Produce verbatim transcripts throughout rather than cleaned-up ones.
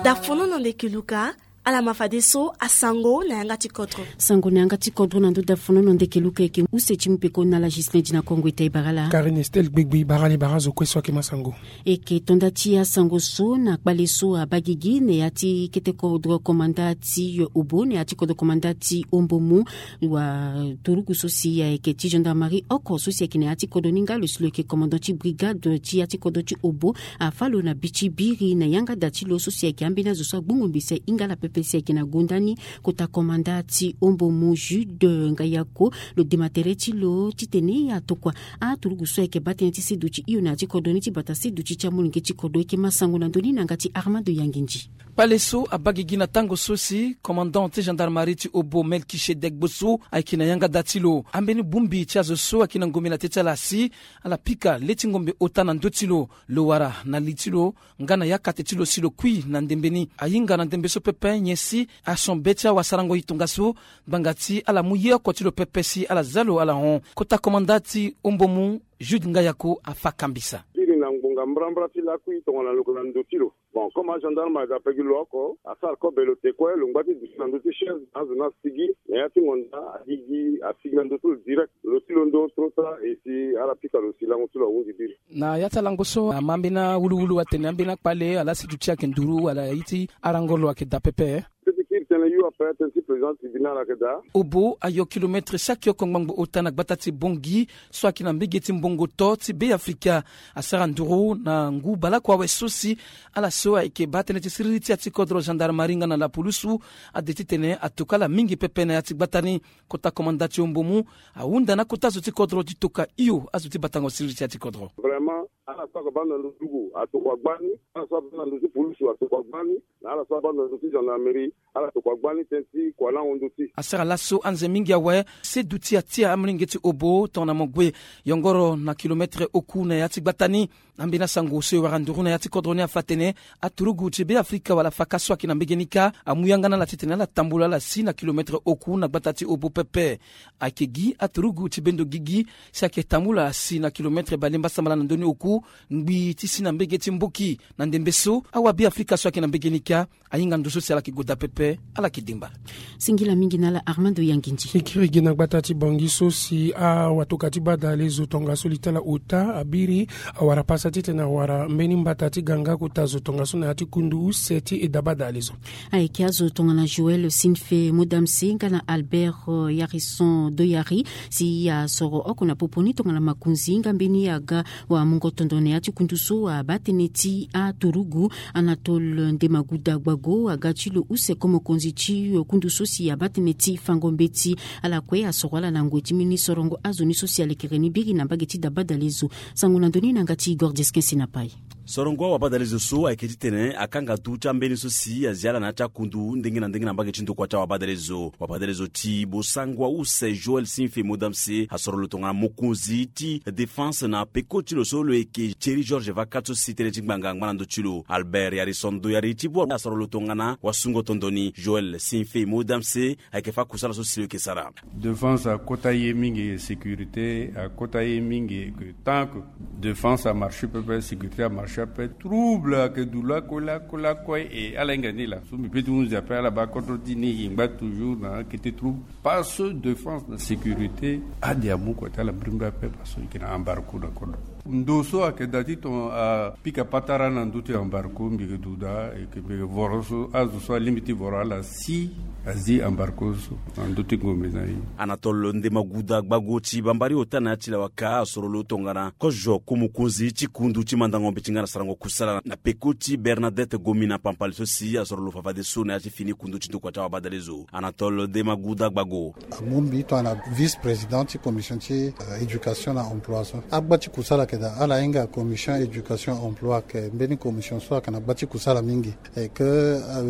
Dafono na ndeke luka. Ala ma fadeso asango na yanga ti kodro. Sango na yanga ti kodro na ndö dafono na ndeke luka eke use ti mu peko na ala Gislin Dina Kongo ita e bara ala. Karine Estel Gbegbe bara ala e bara azo kue so ake ma sango. Eke tonda ti asango so na kpale so abagigi na ya ti kete kodro komanda ti Obo na ya ti kodro komanda ti Ombomu. Wa turugu so si ayeke ti gendarmerie oko so si ayeke na ya ti kodro ni nga lo si lo yeke commandant ti brigade ti ya ti kodro ti Obo afa lo na bi ti biri na yanga da ti lo so si ayeke ambeni azo so agbongo mbi si ahinga ala pepe si ayeke na gonda ni. Kota komanda ti Ombomu Jude Ngayako lo dema tere ti lo titene atokua aturugu so ayeke baa tënë ti seduti hio na ya ti kodro ni ti bata seduti ti amolenge ti kodro. Eke ma sango na ndö ni na yanga ti Armando Yangindji. Kpale so abagigi na tango so si commandant ti gendarmerie ti Obo Melkisedek Boso ayeke na yanga da ti lo. Ambeni bongbi ti azo so ayeke na ngombe na tê ti ala si ala pika le ti ngombe ota na ndö ti lo, lo wara na li ti lo nga na yakate ti lo si lo kui na ndembe ni. Ahinga na ndembe so pepe nyen si ason be ti awasarango e tongaso ngbanga ti ala mu ye oko ti lo pepe si ala za lo ala hon. Kota komanda ti Ombomu Jude Ngayako afa kambisa. Biri na ngbonga mbrambra ti lakui tongana lo yeke na ndo ti lo. Bon, comme agendarme aga pegi lo oko asara kobe lo te kue lo ngba ti duti na ndö ti chaise na azo ni asigi na ya ti ngonda agigi asigi na ndö ti lo direct lo ti londo trop tard e si ala pika lo si lango ti lo ahunzi biri. Na ya ti alango so ama ambeni awuluwulu atene ambeni akpale ala si duti ayeke nduru wala aye ti arango lo ayeke daa pepe. Tënë ti kiri tënë yu ape tënë ti président tribunal ayeke daa. Obo ayo kilometre saki oko ngbangbo ota na gbata ti Bongi so ayeke na mbege ti mbongo to ti Beafrika. Asara nduru na ngu baleoko awe so si ala so ayeke baa tënë ti siriri ti ya ti kodro gendarmerie nga na lapulusu ade titene atokua ala mingi pepe na ya ti gbata ni. Kota komanda ti Ombomu ahunda na akota zo ti kodro ti tokua hio azo ti batango siriri ti ya ti kodro. Vraiment ala so ayeke baa na ndo ti luku atokua gbani. Ala so abaa na ndo ti pulusu atokua gbani. Na ala so abaa na ndo ti gendarmerie ala tokua gbani tënë ti kua lango ndo ti. Asara laso anze mingi awe seduti atia amolenge ti Obo tongana mo gue yongoro na kilometre oku na ya ti gbata ni. Ambeni asango so e wara nduru na ya ti kodro ni afa atene aturugu ti Beafrika wala faka so ayeke na mbege ni kâ amu yanga na ala titene ala tambula ala si na kilometre oku na gbata ti Obo pepe. Ayeke gi aturugu ti bendo gigi si ayeke tambula asi na kilometre bale mbasambala na ndö ni oku ngbii ti si na mbege ti mboki. Na ndembe so awabeafrika so ayeke na mbege ni kâ ahinga ndo so si ala yeke goda pepe. Ala yeke dengba. Singila mingi na ala Armando Yangindji. E kiri gi na gbata ti Bongi so si awatoka ti badale zo tongaso li ti ala ota abiri awara pasa titene awara mbeni mbata ti ganga kota zo tongaso na ya ti kundu use ti e da badale zo. Ayeke azo tongana Joël Sinfe Modamse nga na Albert Yarison Doyari si asoro oko na popo ni tongana makonzi nga mbeni aga wamungo tondo na ya ti kundu so abaa tënë ti aturugu. Anatole Ndemaguda Gbago aga ti lo use ko mokonzi ti kundu so si abaa tënë ti fango mbeti. Ala kue asoro ala na ngoi ti mbeni sorongo azo ni so si alekere ni biri na mbage ti da badale zo. Sango na ndö ni na yanga ti Igor Desquin Sinapai. Sorongo awabadale zo so ayeke titene akanga tu ti ambeni so si azia ala na ya ti akundu ndenge na ndenge na mbage ti ndokua ti awabadale zo. Wabadale zo ti bosango ause Joël Sinfe Modamse asoro lo tongana mokonzi ti défense na peko ti lo so lo yeke Thierry Georges Vacat so si tënë ti ngbanga angba na ndö ti lo. Albert Yarison Doyari ti bua asoro lo tongana wasungo tondo ni. Joël Sinfe Modamse ayeke fa kusala so si lo yeke sara. Défense akota ye mingi, sécurité akota ye mingi. Tant que défense amarche pepe, sécurité amarche pepe, trouble ayeke du lakue lakue lakue. E ala hinga ni laa so mbi pe ti hunzi ape ala baa kodro ti ni e ngba toujours na kete trouble. Parce que défense na sécurité ade amu kua ti ala mbirimbiri ape parce que e yeke na embargo na kodro. Ndo so ayeke daa ti ton apika patara na ndö ti embargo mbi yeke duda e yeke mbi yeke voro so azo so alingbi ti voro ala si azi embargo so na ndö ti ngombe na e. Anatole Ndemaguda Gbago ti bambari ota na ya ti lawaka asoro lo tongana kozo ko mokonzi ti kundu ti mandango mbeti nga na sarango kusala na peko ti Bernadette Gomi na Pampali so si asoro lo fa fadeso na ya ti fini kundu ti ndokua ti awabadale zo. Anatole Ndemaguda Gbago. Amu mbi tongana vice président ti commission ti éducation na emploi so agba ti kusala ayeke daa ala hinga commission éducation emploi ayeke mbeni commission so ayeke na gba ti kusala mingi. E ke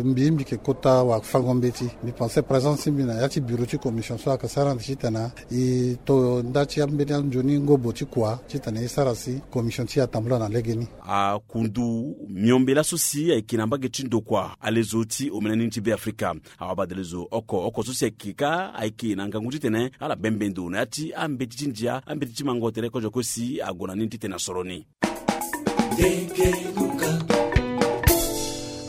mbi mbi yeke kota wafango mbeti mbi pense présence ti mbi na ya ti bureau ti commission so ayeke sara ande titene e to nda ti ambeni anzoni ngobo ti kua titene e sara si commission ti e atambula na legeni. Akundu miombe laso si ayeke na mbage ti ndokua alezo ti omene ni ti Beafrika. Awabadale zo oko oko so si ayeke kâ ayeke na ngangu titene ala bembe ndo na ya ti ambeti ti ndia ambeti ti mango tere kozo kue si ague na ni titene asoro ni.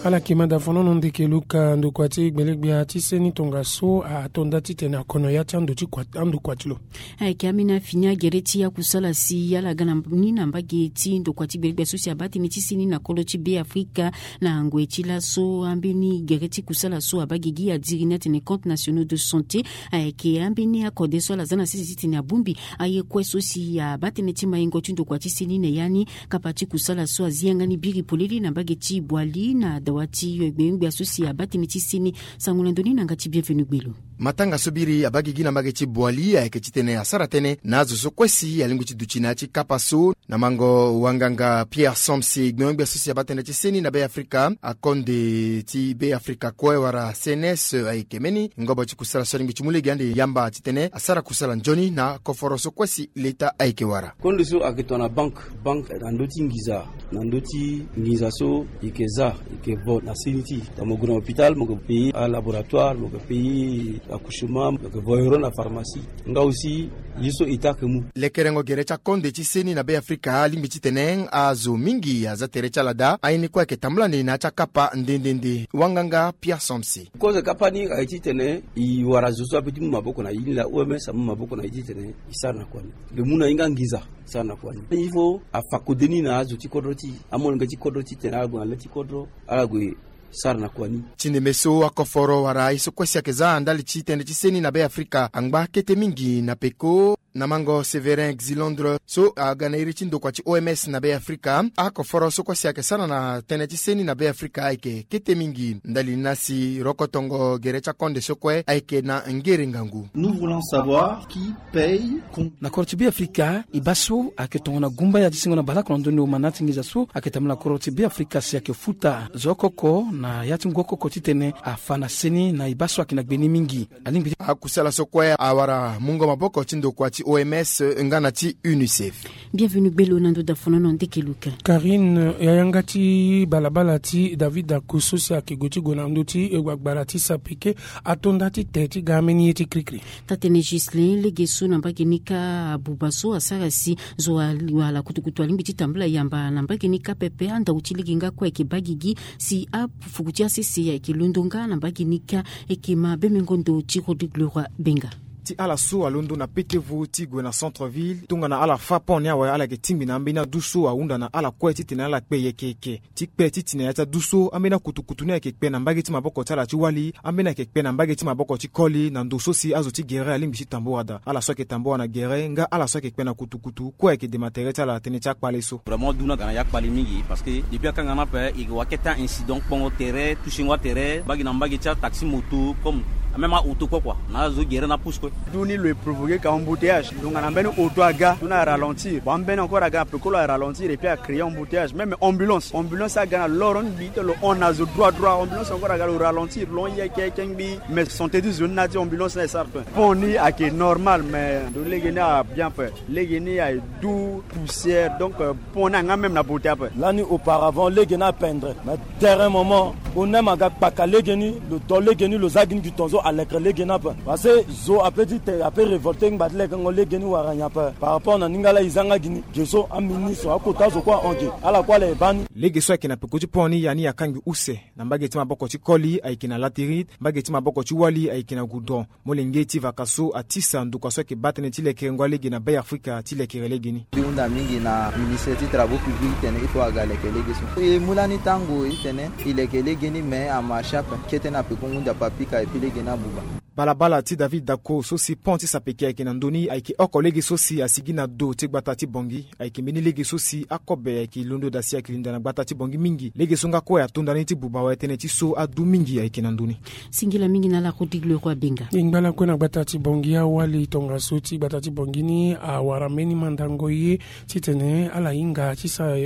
Ala yeke manda fonono ndeke luka ndokua ti gbelegbia ti seni tongaso ato nda titene akono ya ti ando ti kua ando kua ti lo. Ayeke ambeni afini agere ti akusala si ala ga na ni na mbage ti ndokua ti gbelegbia so si abaa tënë ti seni na kolo ti be afrika. Na ngoi ti laso ambeni gere ti kusala so abaa gigi adiri ni atene compte nationaux de santé. Ayeke ambeni akode so ala za na sese titene abongbi aye kue so si abaa tënë ti maingo ti ndokua ti seni na ya ni. Kapa ti kusala so azi yanga ni biri polele na mbage ti boali na dawa ti gbengbe aso si abaa tënë ti seni. Sango na ndoni na yanga ti bienvenu gbelo. Matanga so biri abaa gigi na mbage ti boali ayeke titene asara tënë na azo so kue si alingbi ti duti na ya ti kapa so. Na mango wanganga pierre somsi gbengbe aso si abaa tënë ti seni na be afrika akonde ti be afrika kue wala cns ayeke mbeni ngobo ti kusala so alingbi ti mu lege ande yamba titene asara kusala nzoni na koforo so kue si leta ayeke wara. Kondo so ayeke tongana banke banke na ndö ti nginza na ndö ti nginza so e yeke za e yeke vo na seni ti e. Mo gue na hôpital mo yeke payer alaboratoire mo yeke payer accouchement mo yeke vo euro na pharmacie. Nga aussi ye so e ta yeke mu. Lekerengo gere ti akonde ti seni na be afrika alingbi titene azo mingi aza tere ti ala daa aye ni kue ayeke tambula ni na ya ti akapa nde nde nde wanganga pierre somsi. Kozo kapa ni aye titene e wara zo so ape ti mu maboko na e ni laa oms amu maboko na e titene e sara na kua ni. Lo mu na e nga nginza sara na kua ni il faut afa kode ni na azo ti kodro ti e amolenge ti kodro titene ala gue na le ti kodro ala gue sara na kua ni. Ti ndembe so akoforo wala aye so kue si ayeke za ndali ti tënë ti seni na be afrika angba kete mingi na peko. Na mango sévérin xilondre so aga na iri ti ndokua ti oms na be afrika akoforo so kue si ayeke sara na tënë ti seni na be afrika ayeke kete mingi ndali ni na si rokotongo gere ti akonde so kue ayeke na ngere ngangu. Nous voulons savoir qui paye. Na koro ti be afrika e baa so ayeke tongana gumba ya ti singo na baleoko na ndoni oma na ya ti nginza so ayeke tambula na koro ti be afrika si ayeke futa zo oko oko na ya ti ngu oko oko titene afa na seni na e baa so ayeke na gbe ni mingi. Alingbi ti akusala so kue awara mungo maboko ti ndokua ti oms nga na ti unicef. Bienvenu gbelo na ndo dafonono ndeke luka. Karine ya yanga ti balabala ti david daku so si ayeke gue ti gue na ndö ti gbagbara ti sapeke ato nda ti te ti ga ambeni ye ti krikri. Taa-tënë gislin lege so na mbage ni kâ abuba so asara si zo aliwala kutukutu alingbi ti tambula yamba na mbage ni kâ pepe andau ti lege nga kue ayeke baa gigi si afuku ti asese ayeke londo nga na mbage ni kâ. Ayeke ma bemengo ndo ti rodrigue leroy benga. Ti ala so alondo na petevo ti gue na centre ville tongana ala fâ pont ni awe ala yeke tingbi na ambeni adu so ahunda na ala kue titene ala kpe yeke yeke ti kpe ti ti na ya ti adu so ambeni akutukutu ni ayeke kpe na mbage ti maboko ti ala ti wali ambeni ayeke kpe na mbage ti maboko ti koli na ndo so si azo ti gere alingbi ti tambora daa ala so ayeke tambora na gere nga ala so ayeke kpe na kutukutu kue ayeke dema tere ti ala na tënë ti akpale so. Vraiment du ni aga na ya kpale mingi parce que depuis akanga ni ape e wa kete a-incident kpongo tere touchingo atere mbage na mbage ti ataxi moto comme même a-auto kue kua na azo gere na pousse kue. Du ni lo e provoke ka embouteillage tongana mbeni auto aga du ni aralentir bon ambeni encore aga na pekolo aralentir et puis acréer embouteillage même ambulance ambulance aga na loro ngbi ti lo hon na zo droit droit ambulance encore aga lo ralentir lo hon yeke yeke ngbi. Mais santé ti zo ni na ya ti ambulance ni asara tue pont ni ayeke normal mais ndo lege ni abien ape. Lege ni aye du poussière donc pont ni anga même na beauté ape. Lani auparavant lege ni apendre mais derrière moment o nem aga kpaka lege ni lo to lege ni lo za gi ni gi tonzo alekere lege ni ape. Parce que zo ape ti te ape révolté ngba ti lekengo lege ni wara nyen ape par rapport na ni nga la e za nga gi ni ge so aministre akota zo kue ahon ge ala kue ala e baa ni. Lege so ayeke na peko ti pont ni ya ni akangbi use na mbage ti maboko ti koli ayeke na latérite mbage ti maboko ti wali ayeke na goudron. Molenge ti vaka so atisa ndokua so ayeke baa tënë ti lekerengo alege na be afrika ti lekere lege ni. Mbi hunda mingi na ministre ti travaux publics titene il faut aga leke lege so e mu lani tango titene e leke lege ni me amarche ape kete na peko ngunza papika epui lege ni abuba. Balabala ti david dako so si pont ti sapeke ayeke na ndö ni ayeke oko lege so si asigi na do ti gbata ti bongi. Ayeke mbeni lege so si akobe ayeke londo daa si ayeke linda na gbata ti bongi mingi lege so nga kue atonda ni ti buba awe tënë ti so adu mingi ayeke na ndö ni. Singila mingi na ala rodrigue leroy abenga. E ngba lakue na gbata ti bongi awali tongaso ti gbata ti bongi ni awara mbeni mandango ye titene ala hinga ti sara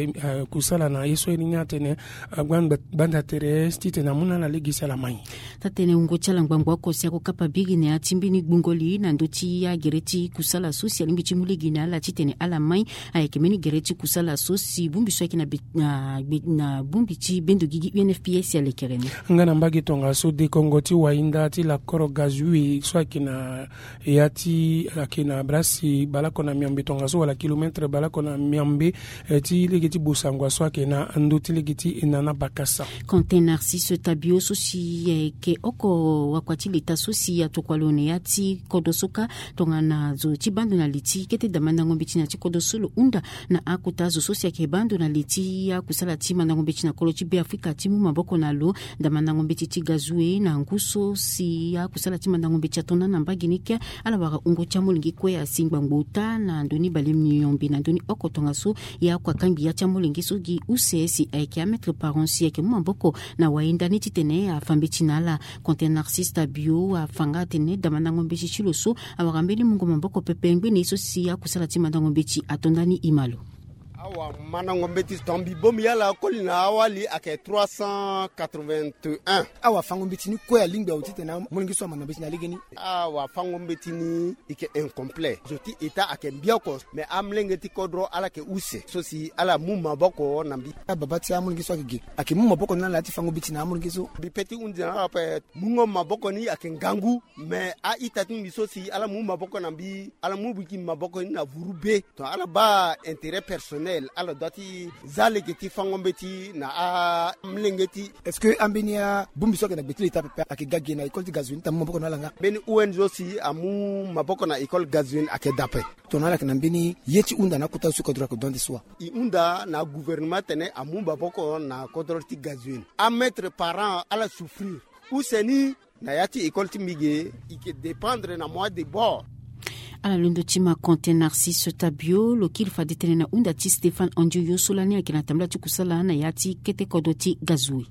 kusala na ye so iri ni atene gbanda tere titene amu na ala lege si ala mai. Taa-tënë wungo ti ala ngbangbo oko si ako Pabiri na ya ti mbeni gbungo li na ndö ti agere ti kusala so si alingbi ti mu lege na ala titene ala mai. Ayeke mbeni gere ti kusala so si bongbi so ayeke na be- na gbe- na bongbi ti bendo gigi U N F P A si alekere ni. Nga na mbage tongaso dekongo ti wahinda ti lakoro gazue so ayeke na ya ti ayeke na brasi baleoko na miombe tongaso wala kilometre baleoko na miombe, eh, ti lege ti bosangwa so ayeke na ndö ti lege ti nana bakasa. Quentin Narcisse Tabio so si ayeke oko wakua ti leta so si atokua lo na ya ti kodro so kâ tongana zo ti baa ndo na li ti kete da mandango mbeti na ya ti kodro so lo hunda na akota zo so si ayeke baa ndo na li ti akusala ti mandango mbeti na kolo ti Beafrika ti mu maboko na lo. Da mandango mbeti ti gazue na ngu so si akusala ti mandango mbeti ato na na mbage ni kâ. Ala wara wungo ti amolenge kue asi ngbangbo ota na ndo ni bale miombe na ndo ni oko tongaso. Ya kua kangbi ya ti amolenge so gi use si ayeke amaître parent si ayeke mu maboko na wahinda ni titene afa mbeti na ala. Quentin Narcisse Tabio afa nga atene da mandango mbeti ti lo so awara mbeni mungo maboko pepe ngbene ye so si akusala ti mandango mbeti ato ndani ima lo. Awa mandango mbeti tonga mbi bongbi ala koli na awali ayeke trois cent quatre-vingt-un. Awa fango mbeti ni kue alingbi awe titene amolenge so amanda mbeti na legeni. Awa fango mbeti ni eke incomplet zo ti eta ayeke mbi oko. Me amolenge ti kodro ala yeke use so si ala mu maboko na mbi. Ababa ti amolenge so ayeke ge ayeke mu maboko na ala ti fango mbeti na amolenge so. Mbi pe ti hundi na ala ape. Mungo maboko ni ayeke ngangu. Me a-ita ti mbi so si ala mu maboko na mbi ala mu biki maboko ni na vuru be. Ton ala baa intérêt personnel ala dua ti za lege ti fango mbeti na amolenge ti. Est-ce que ambeni abongbi so ayeke na gbe ti leta pepe ayeke ga ge na école ti gazouine ti amu maboko na ala nga? Mbeni O N G so si amu maboko na école gazouine ayeke da ape. Tongana ala yeke na mbeni ye ti hunda na akota so kodro ayeke dua nde so wa? E hunda na gouvernement atene amu maboko na kodro ti gazouine. Amaître parent ala souffrir. Use ni na ya ti école ti mbi ge. E ke dépendre na moi de bord. Ala londo ti ma Quentin Narcisse Tabio lo kiri fade tënë na hunda ti Stéphane Andioyo so lani ayeke na tambula ti kusala na ya ti kete kodro ti gazouine.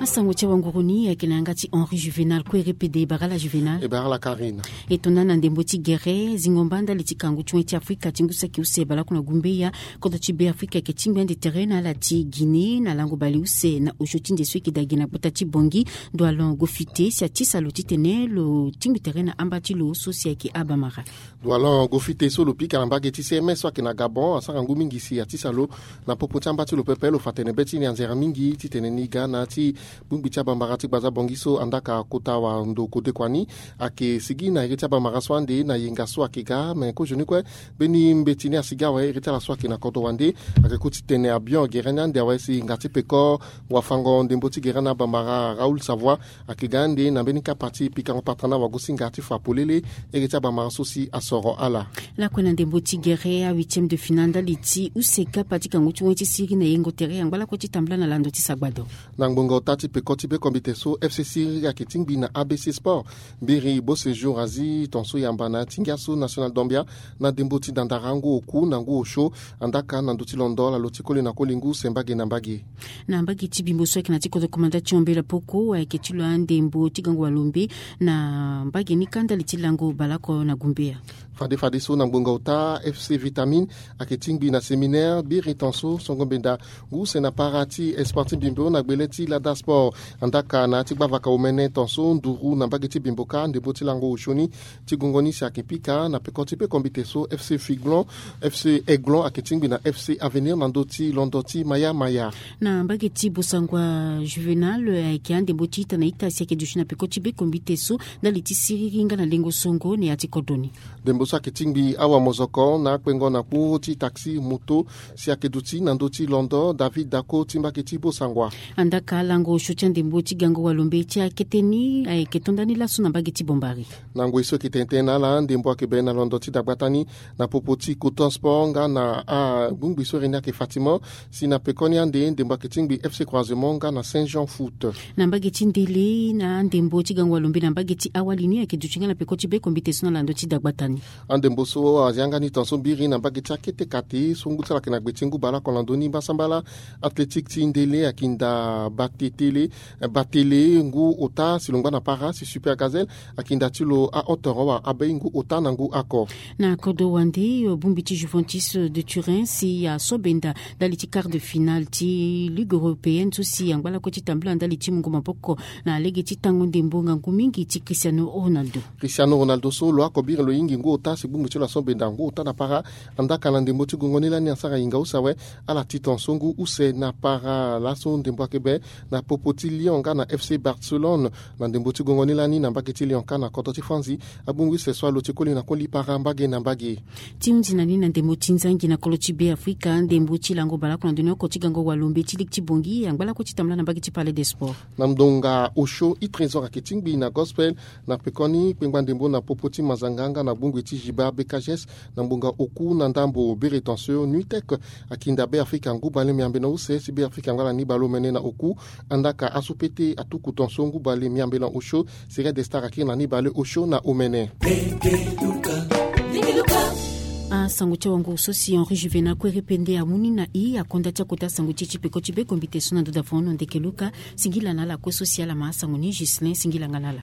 Asango ti awanguru ni ayeke na yanga ti Henri Juvénal. Kue repede bara ala Juvénal. E bara ala Karine. E to na na ndembo ti gere zingo mba ndali ti kangu ti wen ti Afrika ti ngu saki use baleoko na gumbeya. Kodro ti Beafrika ayeke tingbi ande tere na ala ti Guinée na lango baleuse na osio ti nze so eke daa gi na gbata ti Bangui. Ndwalon Gofite si atisa lo titene lo tingbi tere na amba ti lo so si ayeke abamara. Ndwalon Gofite so lo pika na mbage ti C M S so ayeke na Gabon asara ngu mingi si atisa lo na popo ti amba ti lo pepe. Lo fa tene be ti ni anzere mingi titene ni ga na ya ti bongbi ti abambara ti gbaza Bangui so andaka kota wando kodekua ni ayeke sigi na iri ti abambara so ande na yenga so ayeke ga me kozoni kue. Mbeni mbeti ni asigi awe iri ti ala so ayeke na kodro wande. Ayeke ku ti tene abion gere ni ande awe si nga ti peko wafango ndembo ti gere na abambara Raoul Savoie ayeke ga ande na mbeni kapa ti pikango patana wagosinga ti fa polele. Iri ti abambara so si asoro ala. Lakue na ndembo ti gere a huitième de finale ndali ti use kapa ti kangu ti wen ti siri na yengo tere yangba lakue ti tambula na lando ti sagbado. Na ngbonga ota ti peko ti be kombite so F C siriri ayeke tingbi na A B C Sport. Mbiri Beau Séjour azi tonso yamba na ya ti ngia so National Dombia na ndembo ti dandara ngu oku na ngu osio. Andaka na ndö ti londo ala lo ti koli na koli ngu use mbage na mbage. Na mbage ti bimbo so ayeke na ti kodro komanda ti ombela poko ayeke ti lo andembo ti gango walombe na mbage ni kâ ndali ti lango baleoko na gumbeya. Fade fadeso na ngbonga ota F C Vitamine ayeke tingbi na séminaire biri tonso songo mbenda ngu use na para ti sport ti bimbo na gbele ti Lada Sport. Andaka na ya ti gbavaka omene tonso nduru na mbage ti bimbo kâ ndembo ti lango osio ni. Ti gongo ni si ayeke pika na peko ti be kombite so F C Figlon F C Aiglon ayeke tingbi na F C Avenir na ndö ti londo ti maya maya. Na mbage ti bosangwa Juvénal ayeke andembo ti ita na ita si ayeke duti na peko ti be kombite so ndali ti siriri nga na lengo songo na ya ti kodro ni. Ndembo so ayeke tingbi awa mozoko na akpengo na kpo ti taxi moto si ayeke duti na ndö ti londo David Dako ti mbage ti bosangwa. Andaka lango osio ti andembo ti gango walombe ti akete ni ayeke to ndani laso na mbage ti Bombari. Na ngoi so eke tene tënë na ala ndembo ayeke bene na londo ti dagbata ni na popo ti Coton Sport nga na abongbi so iri ni ayeke Fatima. Si na pekoni ande ndembo ayeke tingbi F C Croisement nga na Saint Jean Foot. Na mbage ti ndele na andembo ti gango walombe na mbage ti awali ni ayeke duti nga na peko ti be kombite so na lando ti dagbata ni. Andembo so azi yanga ni tonso mbiri na mbage ti akete kate so ngu ti ala ayeke na gbe ti ngu baleoko na ndö ni mbasambala. Athlétique ti ndele ayeke nda batete Batele ngu ota si lo ngba na para si Super Gazelle akinda ti lo ahauteur awa abei ngu ota na ngu ako. Na kodo wande, bongbi ti Juventus de Turin si aso benda ndali ti quart de finale ti Ligue européenne so si angba lakue ti tambula ndali ti mungo maboko na lege ti tango ndembo ngangu mingi ti Cristiano Ronaldo. Cristiano Ronaldo so lo ako biri lo hingi ngu ota si bongbi ti lo aso benda ngu ota na para. Andaka na ndembo ti gongo ni lani asara hinga use awe. Ala ti ton so ngu use na para laso ndembo akebe na popo ti Lyon nga na F C Barcelone. Na ndembo ti gongo ni lani na mbage ti Lyon ka na kodro ti Franzi. Abongbi use so alo ti koli na koli para mbage na mbage. Ti hundi na ni na ndembo ti nzangi na kolo ti Be Afrika, ndembo ti lango balaku na ndoni oko ti gango walombe ti ligi ti Bongi angba lakue ti tambula na mbage ti Palais des Sports. Na ndonga osio i trésor ayeke tingbi na gospel na pekoni kpengba ndembo na popo ti mazanga nga na bongbi ti Jiba B K G S na ngbonga oku na ndambo Bereton so Nuitec akinda Be Afrika ngu bale miambe na use si Be Afrika angba na ni bale omene na oku. Andaka aso pete atuku ton so ngu bale miambe na osio. Serie de star akiri na ni bale osio na omene. Asango ti awango so si Henri Juvenal Kuere Pende amu ni na i akonda ti akota sango ti e ti peko ti be kombite so na nduda fono ndeke Luka. Singila na ala kue so si ala ma asango ni. Ghislain singila nga na ala.